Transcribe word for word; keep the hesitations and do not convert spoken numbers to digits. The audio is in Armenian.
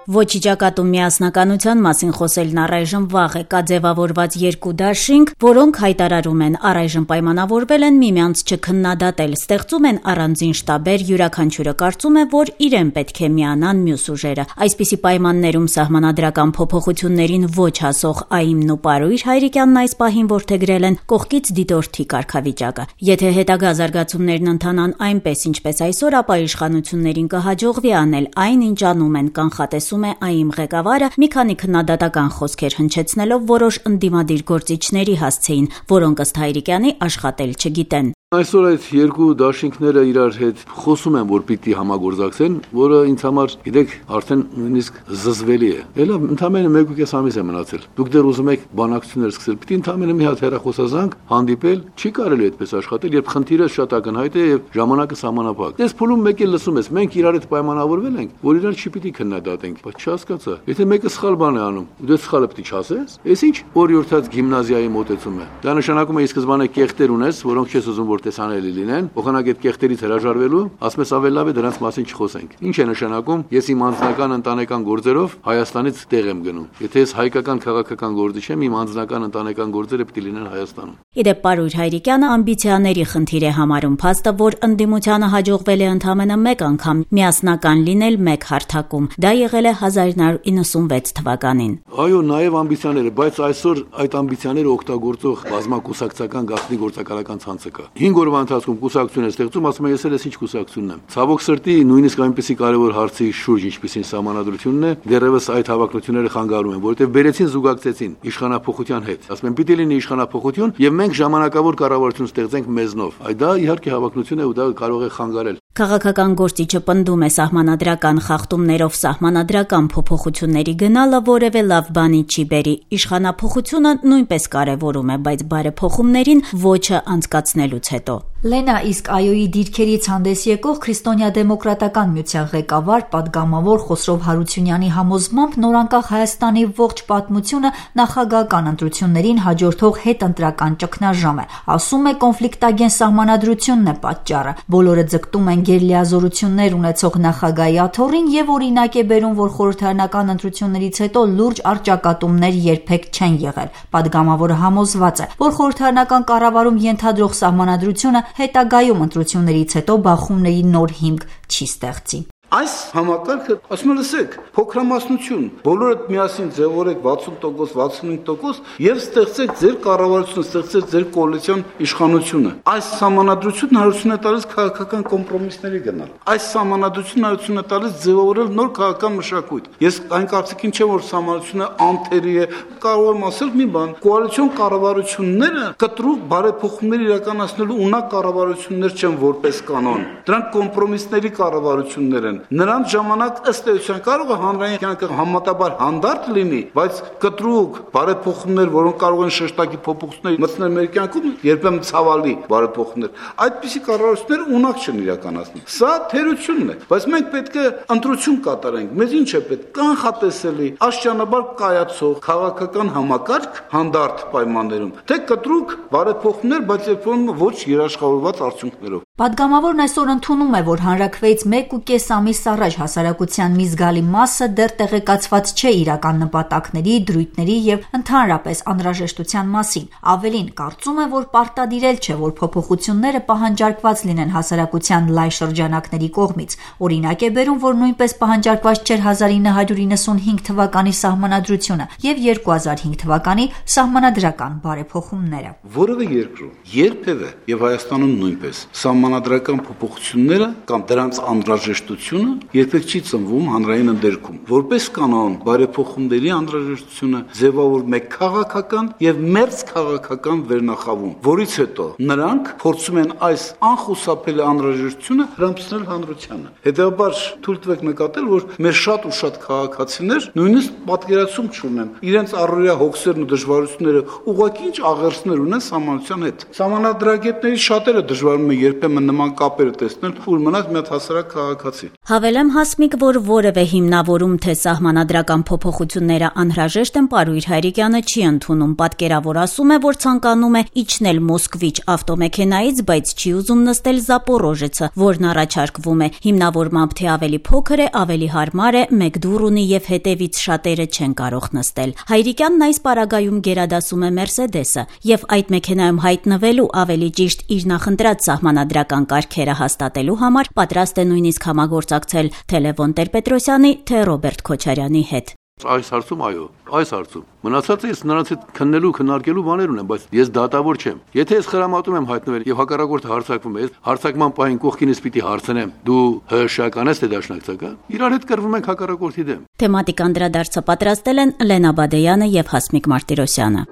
Ոչի ճակատում միասնականության մասին խոսելն առայժմ վաղ է, կա ձևավորված երկու դաշինք, որոնք հայտարարում են առայժմ պայմանավորվել են միմյանց չքննադատել, ստեղծում են առանձին շտաբեր, յուրաքանչյուրը կարծում է, որ իրեն պետք է միանան մյուս ուժերը։ Այսպիսի պայմաններում սահմանադրական փոփոխություններին ոչ հասող Այմն ու Պարույր Հայրիկյանն այս պահին որդեգրել են կողքից դիտորդի կարգավիճակը։ Եթե հետագա զարգացումներն ընթանան այնպես, ինչպես այսօր, ապա իշխանություններին կհաջողվի անել այն, ինչ անում են, կանխատեսում է Այմ ղեկավարը, մի քանի քննադատական խոսքեր հնչեցնելով որոշ ընդդիմադիր գործիչների հասցեին, որոնք ըստ Հայրիկյանի աշխատել չգիտեն։ Այսօր այդ երկու դաշինքները իրար հետ խոսում են, որ պիտի համագործակցեն, որը ինձ համար, գիտեք, արդեն նույնիսկ զզվելի է։ Էլա ընդամենը մեկ ու կես ամիս է մնացել։ Դուք դեռ ուզում եք բանակցություններ սկսել, պիտի ընդամենը մի հատ հեռախոսազանգ հանդիպել, չի կարելի այդպես աշխատել, երբ խնդիրը շատ ակնհայտ է եւ ժամանակը սահմանափակ։ Դες փուլում մեկ էլ լսում ես, մենք իրար հետ պայմանավորվել ենք, որ իրար չի պիտի քննադատենք, բայց չհասկացա։ Եթե մեկը սխալ բան է անում, ու դու սխալը պիտի չասես, այս ինչ օրիորդած գիմնազիայի մոտեցում է։ Դա նշանակում է ի սկզբանե կեղտեր ունես, որոնք չես ուզում որ տեսանելի լինեն, փոխանակ այդ կեղտերից հրաժարվելու, ասում ես ավելի լավ է դրանց մասին չխոսենք։ Ինչ է նշանակում, ես իմ անձնական ընտանեկան գործերով Հայաստանից տեղ եմ գնում։ Եթե ես հայկական քաղաքական գործիչ եմ, իմ անձնական ընտանեկան գործերը պետք է լինեն Հայաստանում։ Իդեպ Պարույր Հայրիկյանը ամբիցիաների խնդիր է համարում փաստը, որ ընդդիմությանը հաջողվել է ընդամենը մեկ անգամ միասնական լինել մեկ հարթակում։ Դա եղել է հազար նույն հարյուր իննսունվեց թվականին։ Այո, նաև ամբիցիաները, բայց այսօր այդ ամբիցիաները օգտագործող բազմակուսակցական գաղտնի գործակալական ցանցը կա։ հինգ օրվա ընթացքում կուսակցություն է ստեղծում, ասում է ես էլ ինչ կուսակցությունն եմ։ Ցավոք սրտի նույնիսկ այնպեսի կարևոր հարցի շուրջ, ինչպիսին սահմանադրությունն է, դեռևս այդ հավակնությունները խանգարում են, որովհետև բերեցին զուգակցեցին իշխանափոխության հետ։ Ասում են պիտի լինի իշխանափոխություն եւ մենք ժամանակավոր կառավարություն ստեղծենք մեզնով։ Այդ դա իհարկե հավակնություն է ու դա կարող է խանգարել։ Քաղաքական գործիչը պնդում է սահմանադրական խախտումներով սահմանադրական փոփոխությունների գնալը որևէ լավ բանի չի բերի։ Իշխանափոխությունը նույնպես կարևորում է, բայց բարեփոխումներին ոչը անցկացնելուց հետո։ Լենա, իսկ Այոյի դիրքերից հանդես եկող Քրիստոնյա-դեմոկրատական միության ղեկավար, պատգամավոր Խոսրով Հարությունյանի համոզմամբ նորանկախ Հայաստանի ողջ պատմությունը նախագահական ընտրություններին հաջորդող հետընտրական ճգնաժամ է։ Ասում է, կոնֆլիկտագեն սահմանադրությունն է պատճառը։ Բոլորը ձգտում են գերլիազորություններ ունեցող նախագահի աթոռին եւ օրինակ է բերում, որ խորհրդարանական ընտրություններից հետո լուրջ առճակատումներ երբեք չեն եղել։ Պատգամավորը համոզված է, որ խորհրդարանական կառավարում ենթադրող սահմանադրությունը հետագայում ընտրություններից հետո բախումների նոր հիմք չի ստեղծի։ Այս համակարգը, ասում եմ, լսեք, փոքրամասնություն, բոլորդ միասին ձևորեք վաթսուն տոկոս, վաթսունհինգ տոկոս եւ ստեղծեք ձեր կառավարությունը, ստեղծեք ձեր կոալիցիոն իշխանությունը։ Այս համանadrությունն հարություն է տալիս քաղաքական կոմպրոմիսների գնալ։ Այս համանadrությունն հարություն է տալիս ձևավորել նոր քաղաքական մշակույթ։ Ես այն կարծիքին չեմ, որ համանadrությունը անթերի է, կարող եմ ասել մի բան, կոալիցիոն կառավարությունները կտրուկ բարեփոխումներ իրականացնելու ունակ կառավարություններ չեն որպես կանոն։ Դրանք կոմպրոմիսների կառավարություններ են։ Նրանց ժամանակ ըստ էության կարող է հանրային կյանքը համատաբար հանդարտ լինի, բայց կտրուկ բարեփոխումներ, որոնք կարող են շեշտակի փոփոխություններ մտցնել մեր կյանքում, երբեմն ցավալի բարեփոխումներ, այդպիսի կառավարությունները ունակ չեն իրականացնում։ Սա թերությունն է, բայց մենք պետք է ընտրություն կատարենք։ Մեզ ինչ է պետք? Կանխատեսելի, աստիճանաբար կայացող քաղաքական համակարգ հանդարտ պայմաններում, թե կտրուկ բարեփոխումներ, բայց երբեմն ոչ երաշխավորված արդյունքներով։ Պատգամավորն այսօր ընդունում է, որ հանրաքվեից մեկ ու կես ամիս առաջ հասարակության մի զգալի մասը դեռ տեղեկացված չէ իրական նպատակների, դրույթների եւ ընդհանրապես անհրաժեշտության մասին։ Ավելին, կարծում է, որ պարտադիրել չէ, որ փոփոխությունները պահանջարկված լինեն հասարակության լայն շրջանակների կողմից։ Օրինակ է բերում, որ նույնպես պահանջարկված չէր հազար ինը հարյուր իննսունհինգ թվականի սահմանադրությունը եւ երկու հազար հինգ թվականի սահմանադրական բարեփոխումները։ Որևէ երկրում երբևէ եւ Հայաստանում նույնպես սահմանադրական փոփոխությունները կամ դրանց անհրաժեշտությունը երբեք չի ծնվում հանրային ընդերքում։ Որպես կանոն, բարեփոխումների անհրաժեշտությունը ձևավորվում է քաղաքական եւ մերձ քաղաքական վերնախավում, որից հետո նրանք փորձում են այս անխուսափելի անհրաժեշտությունը հրամցնել հանրությանը։ Հետևաբար թույլ տվեք նկատել, որ մեր շատ ու շատ քաղաքացիներ նույնիսկ պատկերացում չունեն իրենց առօրյա հոգսերն ու դժվարությունները ուղղակի ինչ աղերսներ ունեն սահմանության հետ։ Սահմանադրագետների շատերը դժվարում են երբեմն ուրեմն նման կապերը տեսնել, որ մնաց մի հատ հասարակ քաղաքացի։ Հավելեմ Հասմիկ, որ որևէ հիմնավորում, թե սահմանադրական փոփոխությունները անհրաժեշտ են, Պարույր Հայրիկյանը չի ընդունում։ Պատկերավոր ասում է, որ ցանկանում է իջնել Մոսկվիչ ավտոմեքենայից, բայց չի ուզում նստել Զապորոժեցը, որն առաջարկվում է։ Հիմնավորմամբ, թե ավելի փոքր է, ավելի հարմար է, մեկ դուռ ունի եւ հետեւից շատերը չեն կարող նստել։ Հայրիկյանն այս պարագայում գերադասում է Մերսեդեսը եւ այդ մեքենայում հայտնվելու, ավելի ճիշտ իր նախընտրած սահմանադրական կարգերը հաստատելու համար պատրաստ է նույնիսկ համագործակցել թե Լևոն Տեր-Պետրոսյանի, թե Ռոբերտ Քոչարյանի հետ։ Այս հարցում այո, այս հարցում մնացածը ես նրանց հետ քննելու, քննարկելու բաներ ունեմ, բայց ես դատավոր չեմ։ Եթե ես խրամատում եմ հայտնվել եւ հակառակորդը հարձակվում է, հարձակման պահին կողքինս պիտի հարցնեմ՝ դու հրշական ես թե դաշնակցական։ Իրար հետ կռվում ենք հակառակորդի դեմ։ Թեմատիկ անդրադարձը պատրաստել են Լենա Բադեյանը եւ Հասմիկ Մարտիրոսյանը։